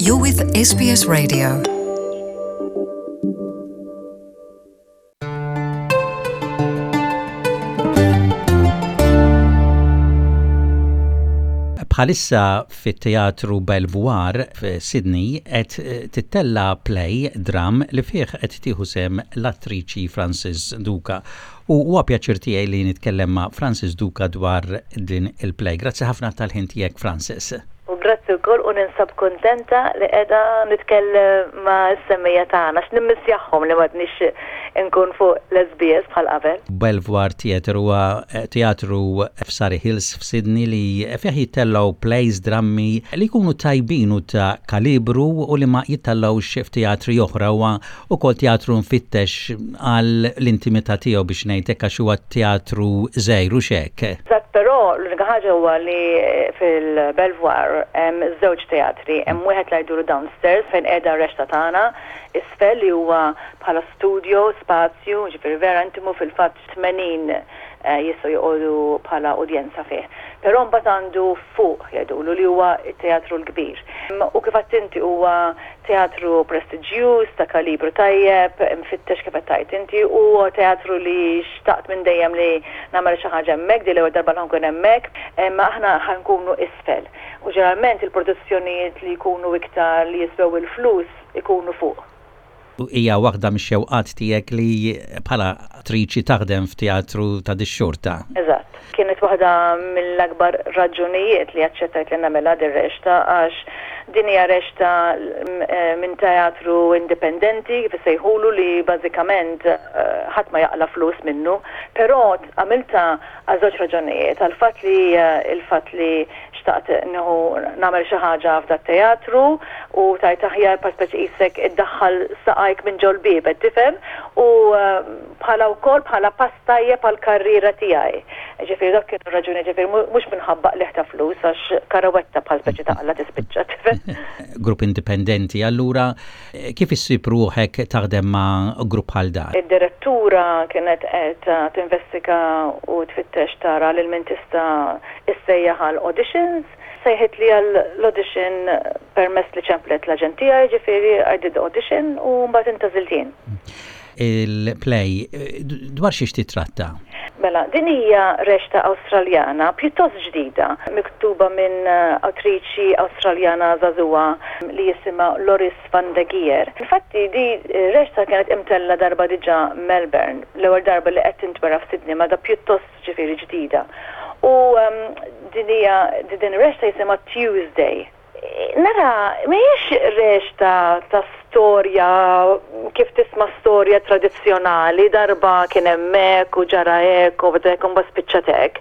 You're with SBS Radio. Bħalissa fit-Teatru Belvoir f'Sydney qed eh, tittella play dram li fih qed tieħu sehem l-attriċi Frances Duca. U huwa pjaċir tiegħi li nitkellem ma' Frances Duca dwar din il-play. Grazzi ħafna tal-ħin tiegħek Frances. U grazzi wkoll u ninsab kuntenta li qiegħda nitkellem ma' s-semmiegħa tagħna għax nimmissjahom li m'għadnix inkun fuq l-SBS bħal qabel. Belvoir Theatre huwa teatru f'Surry Hills f'Sydney li fih jittellgħu plays, drammi li jkunu tajbin u ta' kalibru u li ma jittellgħux f'teatri oħra. Huwa Ukoll teatru mfittex għal l-intimità tiegħu biex ngħid hekk għax huwa teatru żgħir hux hekk? Eżatt, però l-unika ħaġa huwa li fil-Belvoir hemm żewġ teatri, hemm wieħed li jgħidulu downstairs fejn qiegħda r-rexta tagħna, isfel li huwa bħala studio, spazju, jiġifieri vera intimu fil-fatt 80 jistgħu joqogħdu bħala udjenza fih. Però mbagħad għandu fuq jgħidulu li huwa t-teatru l-kbir. U kif għedt inti huwa teatru prestiġjuż, ta' kalibru tajjeb, imfittex kif qed tgħid inti, u huwa teatru li xtaqt minn dejjem li nagħmel xi ħaġa hemmhekk, din l-ewwel darba li ħa nkun hemmhekk, imma aħna ħa nkunu isfel. U ġeneralment il-produzzjonijiet li jkunu iktar li jiswew il-flus ikunu fuq. Hija waħda mix-xewqat tiegħek li bħala attriċi taħdem f'teatru ta' dix-xorta? Eżatt. Kienet waħda mill-akbar raġunijiet li aċċettajt li nagħmilha dir-reċta għax din hija reċta minn teatru indipendenti kif isejħulu li bażikament ħadd ma jaqla' flus minnu. Però għamiltha għal żewġ raġunijiet, għall-fatt li il-fatt li xtaqt nieħu nagħmel xi ħaġa f'dat-teatru u tgħid aħjar bħal speċi qisek iddaħħal saqajk minn ġol-bieb qed tifhem u bħala wkoll bħala pass tajjeb għall-karriera tiegħi. Ġifieri dawk kienu r-raġunijiet ġifieri mhux minħabba qligħ ta' flus għax karawetta bħal speċi taqla' tispiċċa tifhem. Grupp indipendenti allura kif issib ruħek taħdem ma' grupp bħal dan? Id-direttura kienet qed tinvestiga u tfittex tara lil min tista' issejjaħ għal auditions. Sejħitli għal l-audition permess li ċemplet l-aġent tiegħi, ġifieri I did the audition u mbagħad intgħażilt jien. Il-play dwar xiex titratta? Mela, din hija reċta Awstraljana pjuttost ġdida, miktuba minn awtriċi Awstraljana żagħżugħa li jisimha Loris van de Geer. Infatti di reċta kienet imtellgħa darba diġà Melbourne, l-ewwel darba li qed tintwera f'Sydney ma da pjuttost ġifieri ġdida. U din hija din ir-reċta jisimha Tuesday. Nara, mhijiex reċta ta' storja kif tisma' storja tradizzjonali, darba kien hemm hekk u ġara hekk u hekk u mbagħad spiċċat hekk.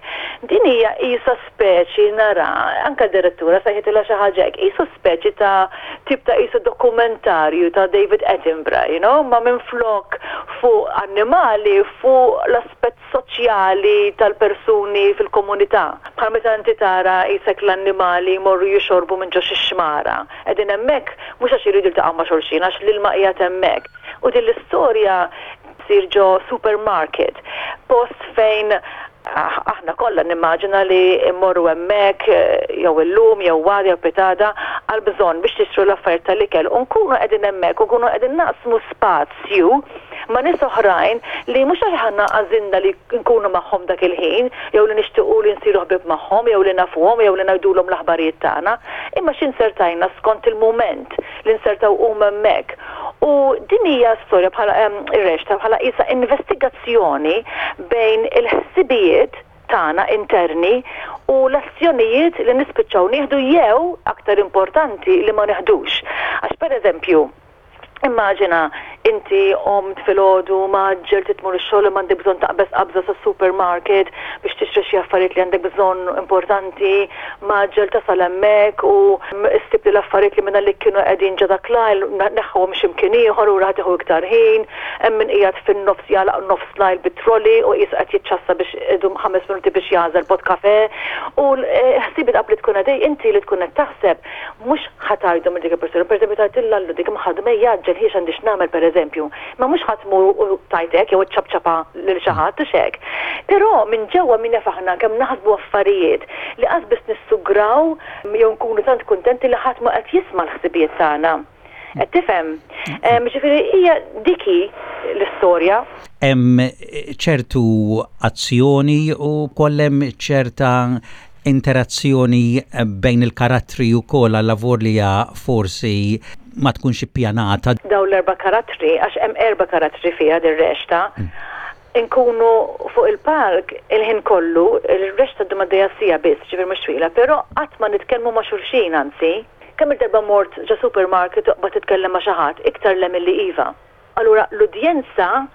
Din hija qisha speċi nara, anke d-direttura sejħitilha xi ħaġa hekk, qisu speċi ta' tip ta' qisu dokumentarju ta' David Attenborough, you know, ma minflok fuq annimali fuq l-aspett soċjali tal-persuni fil-komunità. Bħal meta inti tara qisek l-annimali jmorru jixorbu minn ġo xi xmara. Qegħdin hemmhekk mhux għax iridu jiltaqgħu ma' xulxin, għax l-ilma qiegħed hemmhekk. U din l-istorja ssir ġo supermarket, post fejn aħna kollha nimmaġina li mmorru hemmhekk jew illum jew għada jew pitgħada għall-bżonn biex nixtru l-affarijiet tal-ikel u nkunu qegħdin hemmhekk u nkunu qegħdin naqsmu spazju ma' nies oħrajn li mhux għax aħna għażilna li nkunu magħhom dak il-ħin jew li nixtiequ li nsiru ħbieb magħhom jew li nafuhom jew li ngħidulhom l-aħbarijiet tagħna, imma xi nsertajna skont il-mument li nsertaw huma hemmhekk. U din hija storja bħala ir-reċta bħala qisha investigazzjoni bejn il-ħsibijiet tagħna interni u l-azzjonijiet li nispiċċaw nieħdu jew, aktar importanti, li ma neħdux. Għax pereżempju, Immaġina inti qomt filgħodu mgħaġġel trid tmur ix-xogħol imma għandek bżonn taqbeż qabża sas-supermarket biex tixtri xi affarijiet li għandek bżonn importanti, mgħaġġel tasal hemmhekk u ssib li l-affarijiet li mingħalik kienu qegħdin ġo dak l-aisle neħħuhom xi mkien ieħor u ħa tieħu iktar ħin, hemm min qiegħed fin-nofs jagħlaq nofs l-aisle bit-trolley u qisu qed jiċċassa biex idum ħames minuti biex jagħżel pot kafè u l-ħsibiet qabli tkun għaddej inti li tkun qed taħseb Mhux ħa tgħidhom lil dik il-persuna, pereżempju tgħid lil Allu dik imħaddma ejja għaġġel ħiex għandi x'nagħmel pereżempju. pereżempju. Ma mhux ħa tmur u tgħid hekk jew iċċapċapha lil xi ħadd hux hekk. Però minn ġewwa min jaf aħna kemm naħsbu affarijiet li qas biss nissugraw jew nkunu tant kuntenti li ħadd ma qed jisma' l-ħsibijiet tagħna. Qed tifhem? Ġifieri hija dik hi l-istorja. Hemm ċertu azzjoni u wkoll hemm ċerta interazzjoni bejn il-karattri wkoll allavolja forsi ma tkunx ippjanata. Dawn l-erba' karattri, għax hemm erba' karattri fiha dir-reċta, inkunu fuq il-palk il-ħin kollu, ir-reċta ddum għaddejja siegħa biss, ġifieri mhux twila, però qatt ma nitkellmu ma' xulxin anzi. Kemm-il darba mort ġo supermarket u qbadt titkellem ma' xi ħadd, iktar le milli iva. Allura l-udjenza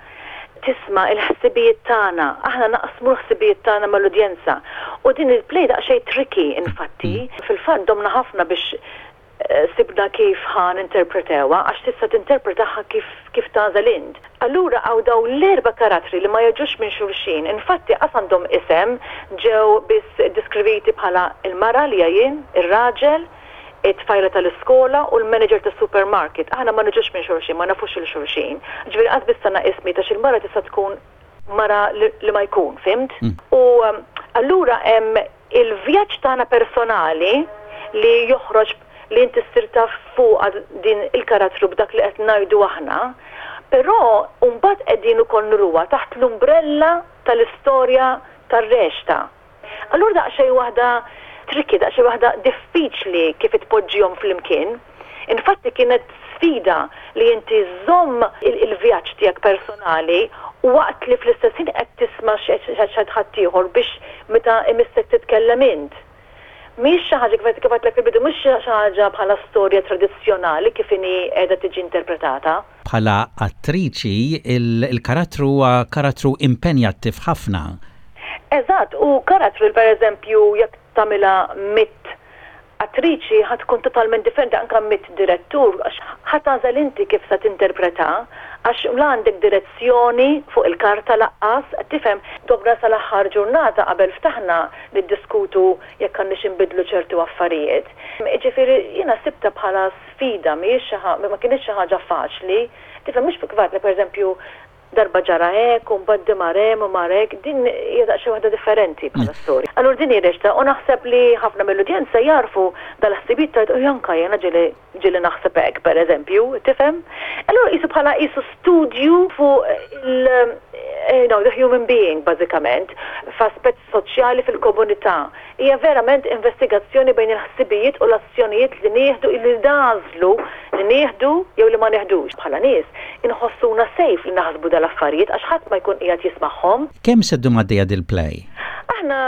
tisma' l-ħsibijiet tagħna, aħna naqsmu l-ħsibijiet tagħna mal-udjenza. U din il-play daqsxejn tricky infatti, fil-fatt domna ħafna biex sibna kif ħa ninterpretewha għax tista' tinterpretaha kif kif tagħżel int. Allura hawn dawn l-erba' karattri li ma jiġux minn xulxin, infatti qas għandhom isem, ġew biss iddiskriviti bħala l-mara li hija jien, ir-raġel, it-tfajla tal-iskola u l-manager tas-supermarket. Aħna ma niġux minn xulxin, ma nafux lil xulxin. Ġifieri qas biss tana ismijiet għax il-mara tista' tkun mara li ma jkun, fhimt? U allura hemm il-vjaġġ tagħna personali li joħroġ li inti ssir taf fuqha din il-karattru b'dak li qed ngħidu aħna, però mbagħad qegħdin ukoll nuruha taħt l-umbrella tal-istorja tar-reċta. Allura daqsxejn waħda tricky, daqsxejn waħda diffiċli kif tpoġġihom flimkien. Infatti kienet sfida li inti żżomm il-vjaġġ tiegħek personali waqt li fl-istess ħin qed tisma' x'qed ħaddieħor biex meta imissek titkellem int. Mhijiex xi ħaġa kif għedtlek fil-bidu mhux xi ħaġa bħala storja tradizzjonali kif inhi qiegħda tiġi interpretata. Bħala attriċi, il-karattru huwa karattru impenjattiv ħafna. Eżatt, u karattru li pereżempju jekk tagħmilha mitt attriċi ħa tkun totalment differenti anke mid-direttur għax ħa tagħżel inti kif se tinterpreta għax la għandek direzzjoni fuq il-karta laqqas, qed tifhem? Domna sal-aħħar ġurnata qabel ftaħna niddiskutu jekk għandniex inbiddlu ċertu affarijiet. Jiġifieri jiena sibtha bħala sfida mhijiex xi ħa ma kinitx xi ħaġa faċli. Tifhem mhux kif għedtlek pereżempju darba ġara hekk u mbagħad di mar hemm u mar hekk, din hija daqsxejn waħda differenti bħala storja. Allura din hi reċta u naħseb li ħafna mill-udjenza jagħrfu dal-ħsibijiet tgħid u anke jiena ġieli ġieli naħseb hekk pereżempju, tifhem? Allura qisu bħala qisu studju fuq il you know, the human being bażikament f'aspett soċjali fil-komunità. Hija verament investigazzjoni bejn il-ħsibijiet u l-azzjonijiet li nieħdu, li nagħżlu li nieħdu jew li ma nieħdux. Bħala nies, inħossuna safe li naħsbu dal-affarijiet għax ħadd ma jkun qiegħed jismagħhom. Kemm se ddum għaddejja dil-play? Aħna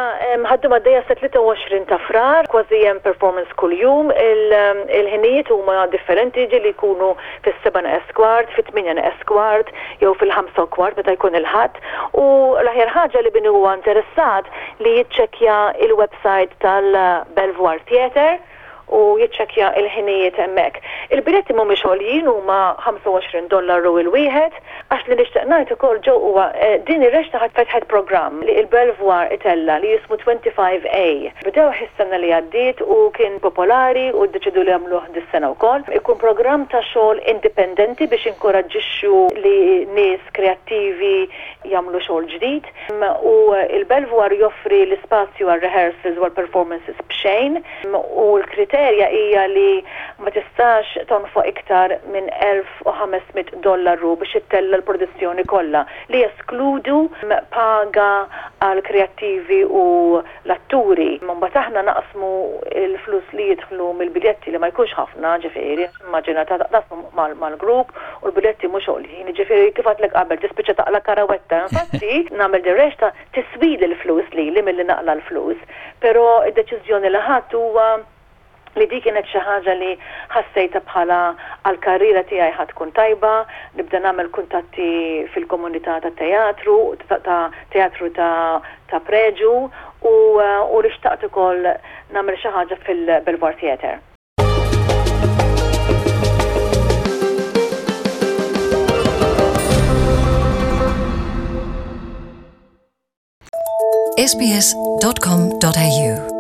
ħa ddum għaddejja sat-23 ta' Frar, kważi hemm performance kuljum. Il-ħinijiet huma differenti, ġieli jkunu fis-sebgħa neqes kwart, fit-tmienja neqes kwart jew fil-ħamsa u kwart meta jkun il-Ħadd. U l-aħjar ħaġa li min huwa interessat li jiċċekkja il-website tal-Belvoir Theatre u jiċċekkja il-ħinijiet hemmhekk. Il-biljetti mhumiex għoljin huma 25 dollaru il-wieħed. Għax li nixtieq ngħid ukoll Joe huwa din ir-reċta ħadd fetħet programm li il-Belvoir itella' li jismu 25A. Bdewh is-sena li għaddiet u kien popolari u ddeċidew li jagħmluh dis-sena wkoll. Ikun programm ta' xogħol indipendenti biex jinkoraġġixxu li nies kreattivi jagħmlu xogħol ġdid u l-Belvoir joffri l-ispazju għar-rehearsals u għall-performances b'xejn u l-kriterja hija li ma tistax tonfoq iktar minn 1,500 dollaru biex ittella' l-produzzjoni kollha, li jeskludu paga għall-kreattivi u l-atturi. Imbagħad aħna naqsmu l-flus li jidħlu mill-biljetti li ma jkunx ħafna, ġifieri, immaġina taqsmu mal-grupp u l-biljetti mhux għoljin, jiġifieri kif għedtlek qabel tispiċċa taqla' karawetta. Infatti nagħmel din reċta tiswili l-flus lili milli naqla' l-flus, però d-deċiżjoni li ħadt huwa li di kienet xi ħaġa li ħassejtha bħala għall-karriera tiegħi ħa tkun tajba, nibda nagħmel kuntatti fil-komunità tat-teatru, ta' teatru ta' ta' preġu u u li xtaqt ukoll nagħmel xi ħaġa fil-Belvoir Theatre. sbs.com.au.